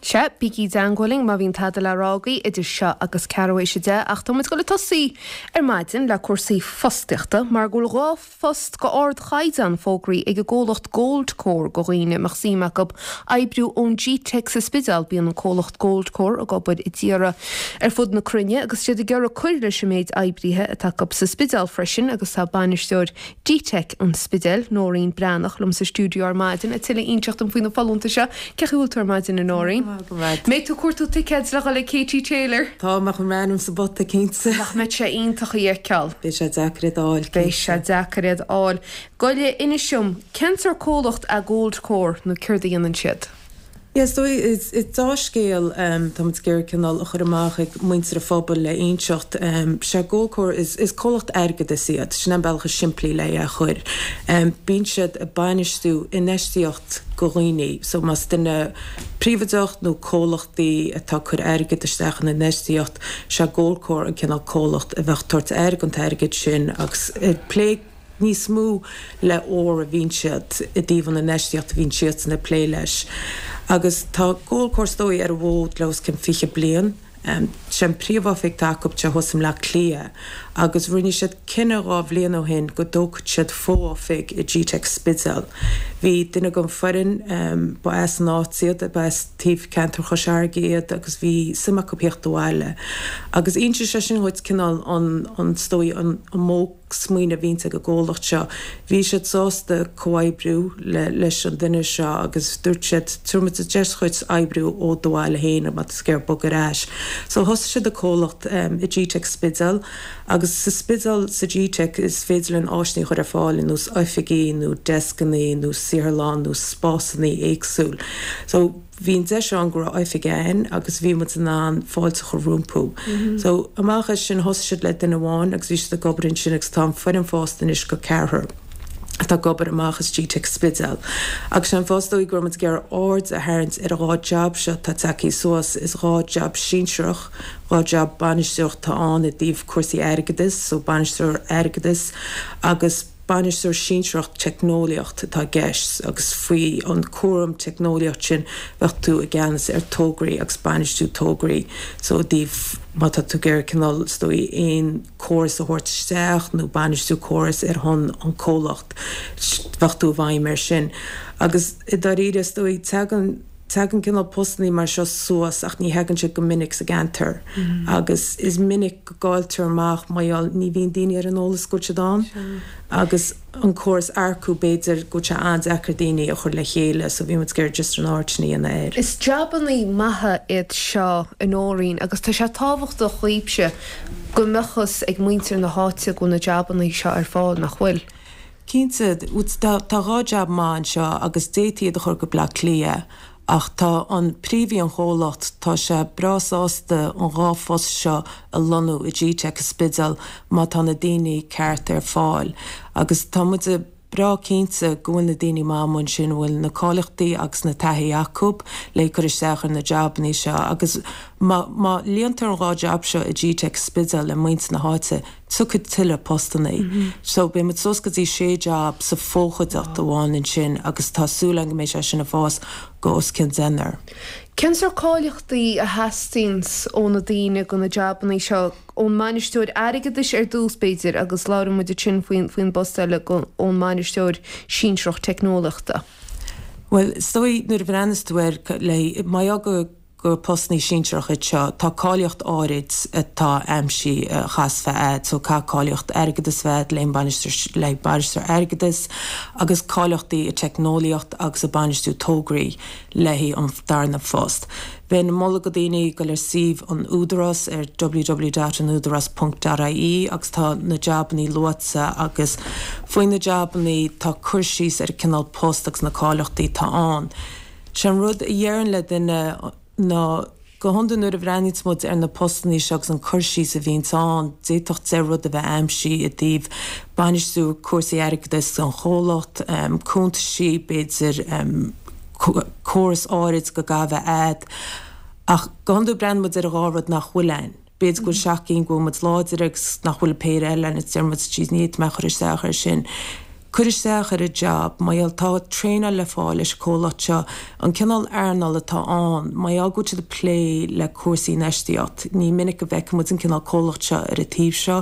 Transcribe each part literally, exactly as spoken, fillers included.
Sea, bígí i dteangmháil linn má bhíonn tada le rá agaibh idir seo agus ceathrú théis a deich, ach tá muid ag dul ag tosaí ar maidin le cúrsaí fostaíochta mar go bhfuil dhá phost go ardchaighdeán fógraithe ag an gcomhlacht Goldcore go dhaoine a mbeadh suim acu oibriú ón G-Tech sa Spidéal. Bíonn an comhlacht Goldcore ag obair i dtíortha ar fud na cruinne agus siad ag iarraidh cur leis an méid oibrithe atá acu sa Spidéal freisin agus tá bainisteoir G-Tech an Spidéil, Nóirín Breathnach, liom sa stiúideo ar maidin le tuilleadh a inseacht dom faoi na folúntais seo. Cén chaoi a bhfuil tú ar maidin, a Nóirín? Mbeidh tú ag cuartú ticéid le dhul ag Katie Taylor? Tá mé chun m'ainm sa bpota cinnte. Nach mbeidh sé iontach í a fheiceáil? Beidh sé deacair iad a fháil. Beidh sé deacair iad a fháil. Goile, inis dom, cén sórt comhlacht é Goldcore nó céard a dhéanann siad? Yeah, so is is dea-scéal tá muid ag iarraidh cineál a chur amach ag muintir an phobail le inseacht. Sé Goldcore is is comhlacht airgeadais iad, sin an bealach is simplí le é a chur. Bíonn siad ag bainistiú infheistíocht go dhaoine, so más duine príobháideach nó comhlachtaí atá ag cur airgead isteach in infheistíocht, sé Goldcore an cineál comhlacht a bheadh ag tabhairt aire don t-airgead sin agus ag plé níos mó le ór a bhíonn siad i dtaobh an infheistíocht a bhíonn siadsan ag plé leis. Agus tá Goldcore is dóigh ar an bhfód le os cionn fiche bliain. Sé an príomhoifig atá acu sé thuas i mBleá Cliath agus rinne siad cinneadh dhá bhliain ó shin go dtógfadh siad fo-oifig i G-Tech Spidéal. Bhí duine den foireann, ba as an áit iad, ba as taobh ceantar Chois Fharraige iad agus bhí suim acu theacht abhaile. Agus inseoidh sé sin dhuit cineál an, an, is dóigh, an modh smaoineamh a bhíonns ag an gcomhlacht seo. Bhí siad sásta comhoibriú le leis an duine seo agus dúirt siad tabharfaidh muid deis dhuit oibriú ó do bhaile féin má tá tú ag iarraidh bogadh ar ais. So thosaigh siad an comhlacht i G-Tech Spidéal agus sa Spidéal sa G-Tech is féidir linn áiseanna a chur ar fáil ar nós oifigí nó deascanna nó saotharlann nó spásanna éagsúil. So bhí an deis ann go raibh oifig ann agus bhí muid in ann fáilte a chur rompu. So amach as sin thosaigh siad le duine amháin agus bhí siad ag obair ansin agus tá an foireann fásta anois go ceathrar atá ag obair amach as G-Tech Spidéal. Agus sé an fáth is dóigh go raibh muid ag iarraidh aird a tharraingt ar an dhá jab seo atá tagtha suas, is dhá jab sinsearach, dhá jab bainisteoireacht atá ann i dtaobh cúrsaí airgeadais, so bainisteoir airgeadais agus Bainisteoir sinsearach teicneolaíocht atá i gceist agus faoi an cúram teicneolaíocht sin bheadh tú i gceannas ar tograí agus bainistiú tograí so i dtaobh má tá tú ag iarraidh cineál is dóigh aon córas a thabhairt isteach nó bainistiú córas ar shon an comhlacht bheadh tú i bhfeidhm air sin agus i dáiríre is dóigh tagann Tagann cineál postannaí mar seo suas ach ní thagann siad go minic sa gceantar agus is minic go gcailltear amach mar gheall ní bhíonn daoine ar an eolas go bhfuil siad ann agus an córas earcú b'fhéidir go bhfuil sé an-deacair daoine a chur le chéile so bhí muid ag iarraidh just an aird sin a dhéanamh air. Is jabannaí maithe iad seo, a Nóirín, agus tá sé tábhachtach dhaoibhse go mbeadh fhios ag muintir na háite go bhfuil na jabannaí seo ar fáil, nach bhfuil? Cinnte, tá dhá jab maith anseo agus d'fhéadfaí iad a chur go Bleá Cliath ach tá an príomhaí an chomhlacht, tá sé breá sásta an dhá phost seo a lonnú i G-Tech i Spidéal má tá na daoine ceart ar fáil agus tá muid breá cinnte go bhfuil na daoine maith amuigh ansin a bhfuil na cáilíochtaí agus na taithí acu le cur isteach ar na jabannaí seo agus má má líontar an dhá jab seo i G-Tech Spidéal le muintir na háite tiocfaidh tuilleadh postannaí. So beidh muid suas go dtí sé jab sa fho-chuideachta amháin ansin agus tá súil againn go mbeidh sé sin ag fás go os cionn deichniúr. Cén sórt cáilíochtaí a theastaíonns ó na daoine go na jabannaí seo, ón mbainisteoir airgeadais ar dtús b'fhéidir agus labhróidh muid ansin faoin faoin bpost eile go ón mbainisteoir sinsearach teicneolaíochta? Bhuel, is dóigh nuair a bhreathnas tú air le mar gheall go gur postannaí sinsearach iad seo, tá cáilíocht áirid atá aimsithe a chaithfeas bheith a'd, so caithfidh cáilíocht airgeadais bheith a'd le bainisteoir le bainisteoir airgeadais agus cáilíochtaí i teicneolaíocht agus i bainistiú tograí le haghaidh an darna phost. Bheinn ag moladh go daoine goil ar suíomh an Údarás ar www dot anudaras ponc dot ie agus tá na jabannaí luaite agus faoi na jabannaí tá cur síos ar an cineál post agus na cáilíochtaí atá ann. Sé an rud a dhéarfainn le duine ná, go hiondúil nuair a bhreathnaíonns muid ar na postannaí seo agus an cur síos a bhíonns ann, d'fhéadfadh deich rud a bheith aimsithe i dtaobh bainistiú cúrsaí airgeadais don chomhlacht, cuntaisí, b'fhéidir, córas áirid go gcaithfidh bheith a'd. Ach go hiondúil breathnaíonn muid ar an dhá rud nach bhfuil ann. B'fhéidir go bhfuil seacht gcinn go bhfuil muid láidir agus nach bhfuil an péire eile ann agus deir muid, jeez ní fhéadfaidh mé cur isteach air sin. Cuir isteach ar an job, mar gheall tá traenáil le fáil leis an comhlacht seo, an cineál earnáil atá ann, mar gheall go bhfuil siad ag plé le cúrsaí infheistíocht, ní minic a bhfeiceann muid an cineál comhlacht seo ar an taobh seo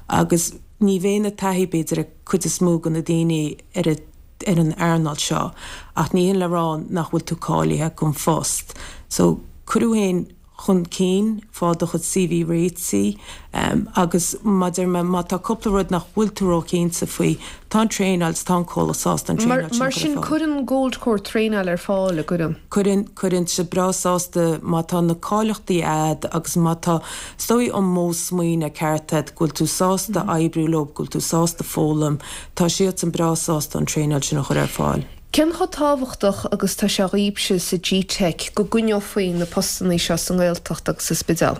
agus ní bheidh na taithí b'fhéidir ag cuid is mó de na daoine ar an ar an earnáil seo ach ní hin le rá nach bhfuil tú cáilithe don phost. So cuir thú féin chun cinn, fág do chuid C V réitithe agus mar a deir mé, má tá cúpla rud nach bhfuil tú róchinnte faoi, tá an traenáil, tá an comhlacht sásta an traenáil sin a chur ar fáil. Mar sin, cuireann Goldcore traenáil ar fáil, an gcuireann? Cuireann, cuireann siad breá sásta má tá na cáilíochtaí a'd agus má tá, is dóigh, an modh smaoine ceart a'd, go bhfuil tú sásta oibriú leo, go bhfuil tú sásta foghlaim, tá siadsan breá sásta an traenáil sin a chur ar fáil. Cén chomh tábhachtach agus tá sé dhaoibhse sa G-Teic go gcoinneofaí na postanna seo sa nGaeltacht agus sa Spidéal?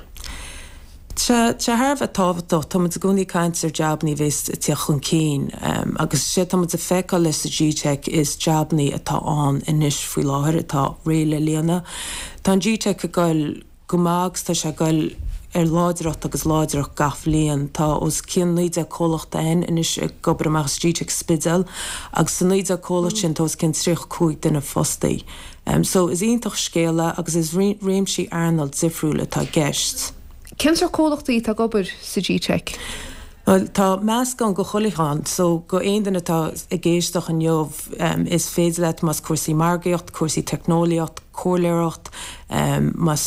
Tá sé thar a bheith tábhachtach. Tá muid i gcónaí ag caint ar jabannaí a bheas ag teacht chun cinn agus sé tá muid ag feiceáil leis sa G-Teic is jabannaí atá ann anois faoi láthair atá réidh le líonadh. Tá an G-Teic ag goil go maith agus tá sé ag goil ar láidreacht agus láidreacht gach bhliain. Tá os cionn naoi déag comhlacht ann anois ag obair amach as G-Teic Spidéal agus sa naoi déag comhlacht sin tá os cionn tríocha cúig duine fostaí. So is iontach scéal é agus is réimsí earnáil difriúil atá i gceist. Cén sórt comhlachtaí atá ag obair sa G-Teic? Bhuel, tá meascán go chuile cheann, so go aon duine atá ag éisteacht inniu, is féidir leat más cúrsaí margaíocht, cúrsaí teicneolaíocht, comhairleoireacht, más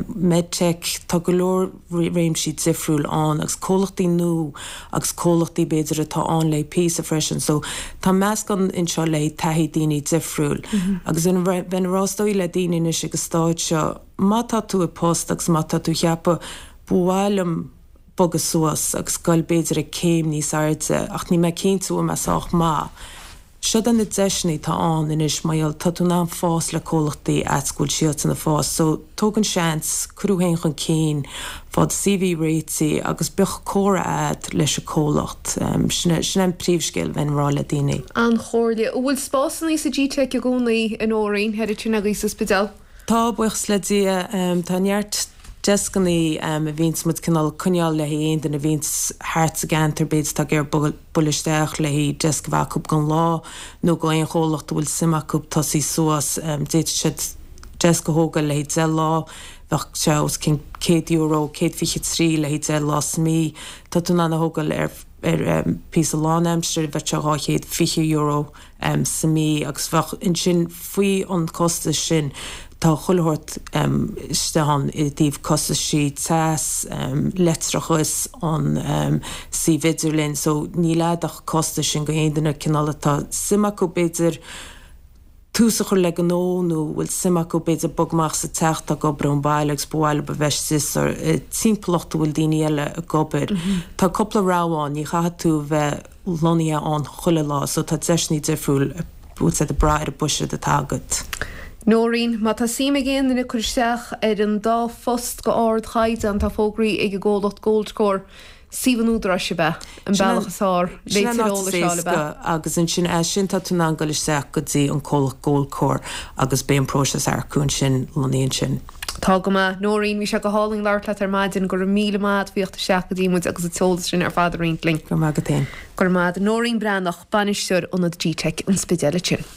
medtech, tá go leor réimsí difriúil ann agus comhlachtaí nua agus comhlachtaí b'fhéidir atá ann le píosa freisin, so tá meascán anseo le taithí daoine difriúil. Agus bheinn ag rá is dóigh le daoine anois ag an stáid seo, má tá tú i post agus má tá tú ag ceapadh, ba mhaith liom, bogadh suas agus goil b'fhéidir ag céim níos airde ach níl mé cinnte bhfuil mé sách maith. Siod na deiseanna atá ann anois mar gheall tá tú in ann fás le comhlachtaí ait go bhfuil siadsan ag fás so tóg an seans, cuir thú féin chun cinn, fág do C V réitithe agus bíodh comhrá a'd leis an comhlacht. Sin é sin é an príomhscéal a bheinn ag rá le daoine. An-chomhairle. An bhfuil spásanna sa G-Teic i gcónaí a Nóirín, thoir ansin agaibh sa Spidéal? Tá, buíochas le Dia. Tá neart deascannaí a bhíonns muid cineál ag coinneáil le haghaidh aon duine a bhíonns thart sa gceantar, b'fhéidir atá ag iarraidh bualadh isteach le haghaidh deasc a bheith acu don lá nó go aon chomhlacht a bhfuil suim acu tosaí suas. D'fhéadfadh siad deasc a thógáil le haghaidh deich lá, bheadh sé os cionn céad euro, céad fiche trí le haghaidh deich lá sa mí. Tá tú in ann a thógáil ar ar píosa lánaimsire, bheadh sé dhá chéad fiche euro sa mí agus bheadh ansin faoi an costas sin tá chuile shórt istigh ann i dtaobh costaisí teas, leictreachas, an suíomh idirlín so níl a'd ach costas sin go aon duine cineál atá suim acu b'fhéidir tús a chur le gnó nó bhfuil suim acu b'fhéidir bog amach sa teach atá ag obair ón baile agus ba mhaith leo a bheith istigh sa timpeallacht a bhfuil daoine eile ag obair. Tá cúpla rogha ann, ní chaithfidh tú a bheith lonnaithe ann chuile lá so tá deiseanna difriúil bhfuil siad ag brath ar an buiséad atá agat. Nóirín, Má tá suim ag aon duine cur isteach ar an dá phost go ardchaighdeán atá fógraithe ag an gcomhlacht Goldcore, suíomh an Údaráis ab ea an bealach is fearr le Sin an tuilleadh áit is eolais a fháil ab ea? éasca agus ansin as sin tá tú in ann dul isteach go dtí an comhlacht Goldcore agus beidh an próiseas earcú ansin lonnaithe ansin. Tá go maith. Nóirín, bhí sé go hálainn labhairt leat ar maidin. Go raibh míle maith agat as theacht isteach go dtí muid agus an t-eolas sin ar fad a roinnt linn. Go raibh maith agat féin. Go raibh maith agat. Nóirín Breathnach, Bainisteoir Ionad G-Teic an Spidéil ansin.